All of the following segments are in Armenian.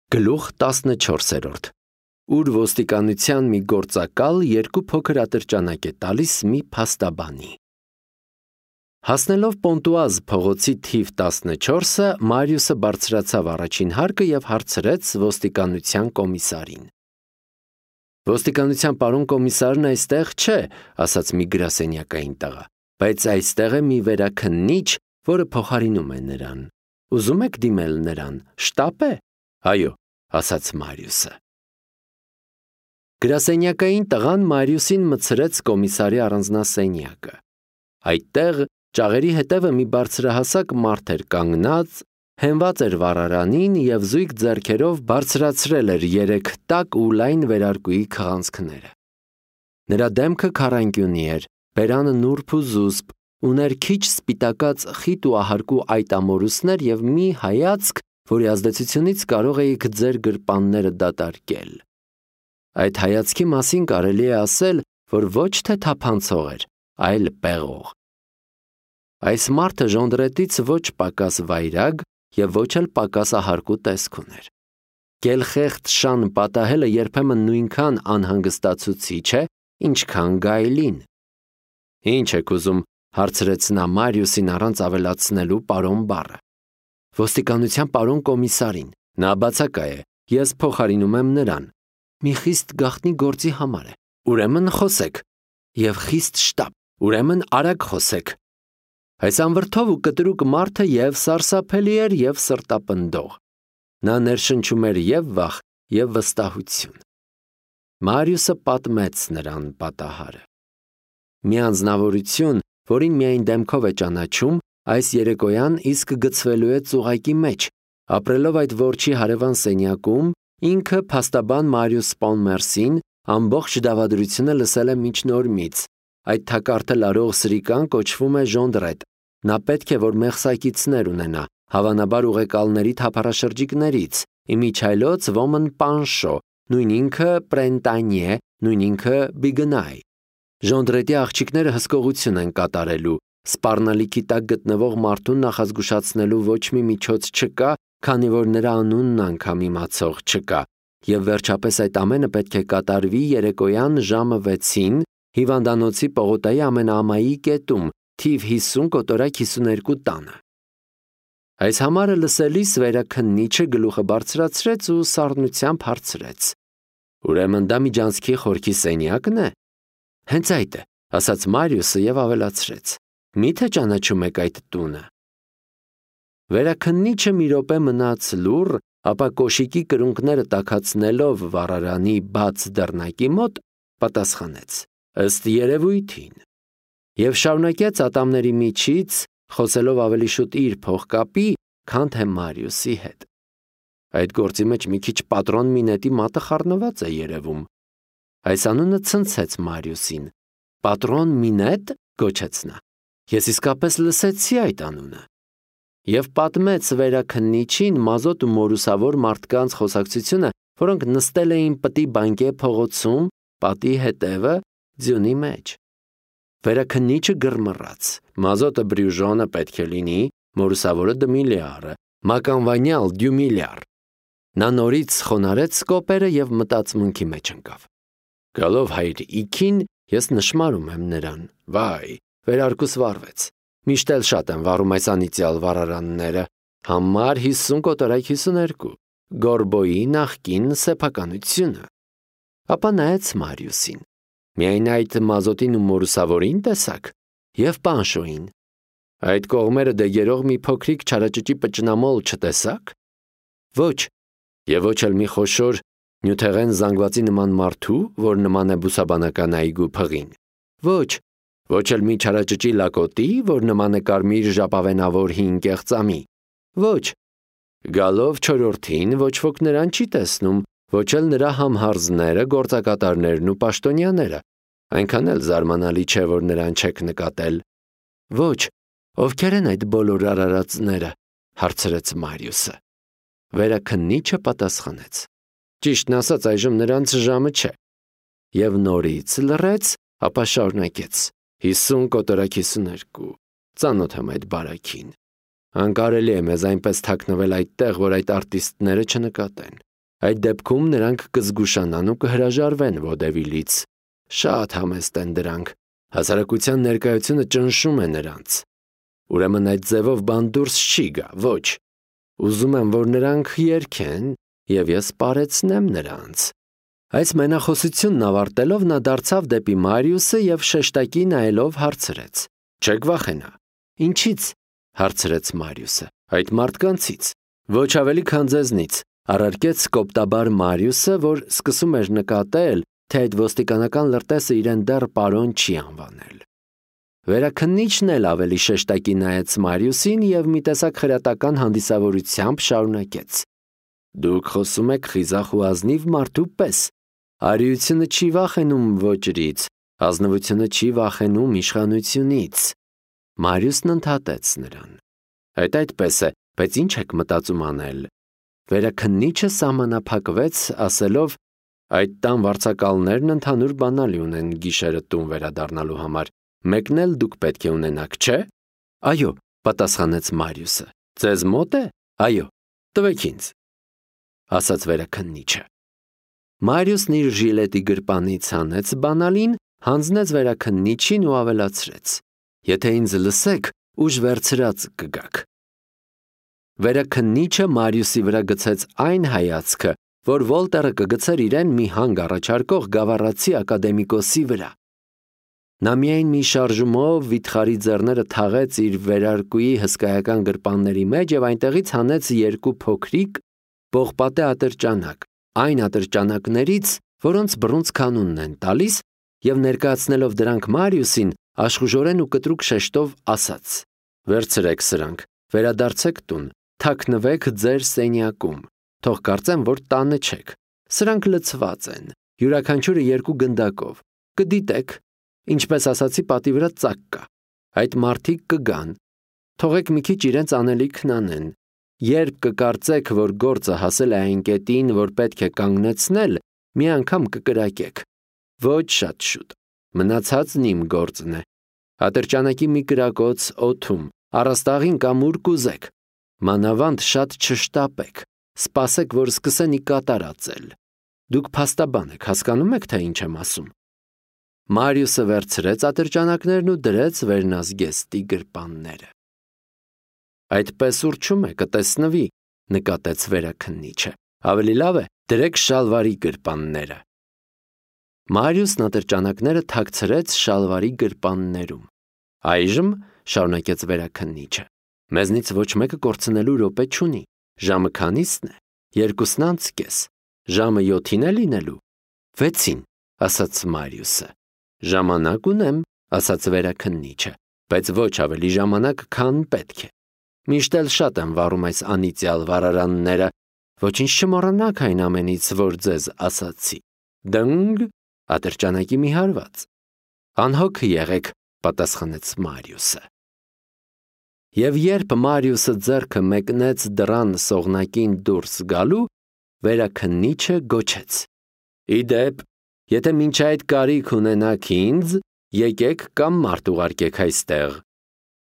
Գլուխ 14, ուր ոստիկանության մի գործակալ երկու փոքր ատրճանակ է տալիս մի փաստաբանի։ Հասնելով Պոնտուազ փողոցի թիվ 14-ը, Մարիուսը բարձրացավ առաջին հարկը և հարցրեց ոստիկանության կոմիսարին։ Ոստիկանության պարոն կոմիսարն այստեղ չէ, ասաց մի գրասենյակային տղա, բայց այստեղ է մի վերաքննիչ, որը փոխարինում է նրան։ Ուզում եք դիմել նրան, շտապ է։ Այո, ասաց Մարիուսը։ Գրասենյակային տղան Մարիուսին մտցրեց կոմիսարի առանձնասենյակը։ Այդտեղ ճաղերի հետևը մի բարձրահասակ մարդ էր կանգնած, հենված էր վառարանին և զույգ ձեռքերով բարձրացրել էր 3 տաք ու լայն վերարկուի քղանցքները։ Նրա դեմքը քառանկյունի էր, բերանը նուրբ ու զուսպ, ուներ քիչ սպիտակած խիտ ու ահարկու այտամորուսներ և մի հայացք, որի ազդեցությունից կարող էիք ձեր գրպանները դատարկել։ Այդ հայացքի մասին կարելի է ասել, որ ոչ թե թափանցող էր, այլ պեղող։ Այս մարդը ժոնդրետից ոչ պակաս վայրագ և ոչ էլ պակաս ահարկու տեսք ուներ։ Գելխեղդ շան պատահելը երբեմն նույնքան անհանգստացուցիչ է, ինչքան գայլին։ Ինչ եք ուզում, հարցրեց նա Մարիուսին առանց ավելացնելու պարոն բառը։ Ոստիկանության պարոն կոմիսարին, նա բացակա է, ես փոխարինում եմ նրան։ Մի խիստ գաղտնի գործի համար է։ Ուրեմն խոսեք։ Եվ խիստ շտապ, ուրեմն արագ խոսեք։ Այս անվրդով ու կտրուկ մարդը և սարսափելի էր, և սրտապնդող։ Նա ներշնչում էր և վախ, և վստահություն։ Մարիուսը պատմեց նրան պատահարը։ Մի անձնավորություն, որին միայն դեմքով է ճանաչում, այս երեկոյան իսկ գցվելու է ծուղակի մեջ, ապրելով այդ որջի հարևան սենյակում, ինքը փաստաբան Մարիուս Պոնմերսին ամբողջ դավադրությունը լսել է միջնորմից։ Այդ թակարդը լարող սրիկան կոչվում է Ժոնդրետ։ Նա պետք է, որ մեղսակիցներ ունենա, հավանաբար ուղեկալների թափառաշրջիկներից, իմիջայլոց ոմն Պանշո, նույն ինքը Պրենտանյե, նույն ինքը Բիգնայ։ Ժոնդրետի աղջիկները հսկողություն են կատարելու, սպառնալիքի տակ գտնվող մարդուն նախազգուշացնելու ոչ մի միջոց չկա, քանի որ նրա անունն անգամ իմացող չկա, և վերջապես այդ ամենը պետք է կատարվի երեկոյան ժամը 6-ին հիվանդանոցի պողոտայի ամենաամայի կետում, թիվ 50 կոտորակ 52 տանը։ Այս համարը լսելիս վերաքննիչը գլուխը բարձրացրեց ու սառնությամբ հարցրեց. Ուրեմն դա միջանցքի խորքի սենյակն է։ Հենց այդ է, ասաց Մարիուսը և ավելացրեց. Միթե ճանաչում եք այդ տունը։ Վերաքննիչը մի րոպե մնաց լուռ, ապա կոշիկի կրունկները տաքացնելով վառարանի բաց դռնակի մոտ, պատասխանեց. Ըստ երևույթին։ Եվ շարունակեց ատամների միջից, խոսելով ավելի շուտ իր փողկապի, քան թե Մարիուսի հետ։ Այդ գործի մեջ մի քիչ պատրոն Մինետի մատը խառնված է երևում։ Այս անունը ցնցեց Մարիուսին։ Պատրոն Մինետ, գոչեց նա։ Ես իսկապես լսեցի այդ անունը։ Եվ պատմեց վերաքննիչին մազոտ ու մորուսավոր մարդկանց խոսակցությունը, որոնք նստել էին պտի բանկե փողոցում, պատի հետևը, ձյունի մեջ։ Վերաքննիչը գրմռաց. մազոտը Բրյուժոնը պետք է լինի, մորուսավորը Դմիլիարը, մականվանյալ Դյումիլիար։ Նա նորից խոնարհեց կոպերը և մտածմունքի մեջ ընկավ։ Գալով հայր իքին, ես նշմարում եմ նրան։ Վայ, վերարկուս վառվեց։ Միշտ էլ շատ են վառում այս անիծյալ վառարանները։ Համար 50 կոտորակ 52։ Գորբոյի նախկին սեփականությունը։ Ապա նայեց Մարիուսին։ Միայն այդ մազոտին ու մորուսավորին տեսակ, և Պանշոյին։ Այդ կողմերը դեգերող մի փոքրիկ չարաճճի պճնամոլ չտեսակ։ Ոչ, և ոչ էլ մի խոշոր նյութեղեն զանգվածի նման մարդու, որ նման է բուսաբանական այգու փղին։ Ոչ էլ մի չարաճճի լակոտի, որ նման է կարմիր ժապավենավոր հին կեղծամի։ Ոչ, գալով չորրորդին ոչ ոք նրան չի տեսնում, ոչ էլ նրա համհարզները, գործակատարներն ու պաշտոնյաները, այնքան էլ զարմանալի չէ, որ նրան չեք նկատել։ Ոչ, ովքեր են այդ բոլոր արարածները, հարցրեց Մարիուսը։ Վերաքննիչը պատասխանեց. Ճիշտն ասած, այժմ նրանց ժամը չէ։ Եվ նորից լռեց, ապա շարունակեց. 50 կոտորակ 52, ծանոթ եմ այդ բարակին։ Անկարելի է մեզ այնպես թաքնվել այդտեղ, որ այդ արտիստները չնկատեն։ Այդ դեպքում նրանք կզգուշանան ու կհրաժարվեն ոդևիլից։ Շատ համեստ են դրանք։ Հասարակության ներկայությունը ճնշում է նրանց։ Ուրեմն այդ ձևով բան դուրս չի գա, ոչ։ Ուզում եմ, որ նրանք երգեն, և ես պարեցնեմ նրանց։ Այս մենախոսությունն ավարտելով նա դարձավ դեպի Մարիուսը և շեշտակի նայելով հարցրեց. «Չեք վախենա»։ «Ինչից»։ հարցրեց Մարիուսը։ «Այդ մարդկանցից»։ «Ոչ ավելի քան ձեզնից», առարկեց կոպտաբար Մարիուսը, որ սկսում էր նկատել, թե այդ ոստիկանական լրտեսը իրեն դեռ պարոն չի անվանել։ Վերաքննիչն էլ ավելի շեշտակի նայեց Մարիուսին և մի տեսակ խրատական հանդիսավորությամբ շարունակեց. «Դուք խոսում եք խիզախ ու ազնիվ մարդու պես։ Արիությունը չի վախենում ոճրից, ազնվությունը չի վախենում իշխանությունից»։ Մարիուսն ընդհատեց նրան. «Այդ այդպես է, բայց ինչ եք մտածում անել»։ Վերաքննիչը սահմանափակվեց, ասելով. «Այդ տան վարձակալներն ընդհանուր բանալի ունեն գիշերը տուն վերադառնալու համար, մեկն էլ դուք պետք է ունենաք, չէ՞։ «Այո», պատասխանեց Մարիուսը։ «Ձեզ մոտ է»։ «Այո»։ «Տվեք ինձ», ասաց վերաքննիչը։ Մարիուսն իր ժիլետի գրպանից հանեց բանալին, հանձնեց վերաքննիչին ու ավելացրեց. «Եթե ինձ լսեք, ուժ վերցրած կգաք»։ Վերաքննիչը Մարիուսի վրա գցեց այն հայացքը, որ Վոլտերը կգցեր իրեն մի հանգ առաջարկող գավառացի ակադեմիկոսի վրա։ Նա միայն մի շարժումով վիթխարի ձեռները թաղեց իր վերարկուի հսկայական գրպանների մեջ և այնտեղից հանեց երկու փոքրիկ պողպատե ատրճանակ, այն ատրճանակներից, որոնց բռունցք կանունն են տալիս, և ներկայացնելով դրանք Մարիուսին, աշխուժորեն ու կտրուկ շեշտով ասաց. «Վերցրեք սրանք, վերադարձեք տուն, թաքնվեք ձեր սենյակում, թող կարծեմ, որ տանը չեք։ Սրանք լցված են, յուրաքանչյուրը 2 գնդակով, կդիտեք, ինչպես ասացի, պատի վրա ծակ կա։ Այդ մարդիկ կգան, թողեք մի քիչ իրենց անելիքն անեն։ Երբ կկարծեք, որ գործը հասել է այն կետին, որ պետք է կանգնեցնել, մի անգամ կկրակեք։ Ոչ շատ շուտ, մնացածն իմ գործն է։ Ատրճանակի մի կրակոց օդում, առաստաղին կամ ուր կուզեք։ Մանավանդ շատ չշտապեք, սպասեք, որ սկսեն ի կատար ածել։ Դուք փաստաբան եք, հասկանում եք, թե ինչ եմ ասում»։ Մարիուսը վերցրեց ատրճանակներն ու դրեց վերնազգեստի գրպանները։ «Այդպես ուռչում է, կտեսնվի», նկատեց վերաքննիչը։ «Ավելի լավ է, դրեք շալվարի գրպանները»։ Մարիուսն ատրճանակները թաքցրեց շալվարի գրպաններում։ «Այժմ», շարունակեց վերաքննիչը, «մեզնից ոչ մեկը կորցնելու րոպե չունի։ Ժամը քանի՞սն է։ 2:30։ Ժամը 7-ին է լինելու։ 6-ին, ասաց Մարիուսը։ «Ժամանակ ունեմ», ասաց վերաքննիչը, «բայց ոչ ավելի ժամանակ, քան պետք է։ Միշտ էլ շատ եմ վառում այս անիծյալ վառարանները, ոչինչ չմոռանաք այն ամենից, որ ձեզ ասացի։ Դնգ, ատրճանակի մի հարված»։ «Անհոգ եղեք», պատասխանեց Մարիուսը։ Եվ երբ Մարիուսը ձեռքը մեկնեց դռան սողնակին դուրս գալու, վերաքննիչը գոչեց. «Ի դեպ, եթե մինչ այդ կարիք ունենաք ինձ, եկեք կամ մարդ ուղարկեք այստեղ։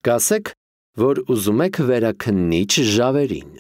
Կասեք, որ ուզում եք վերաքննիչ Ժավերին»։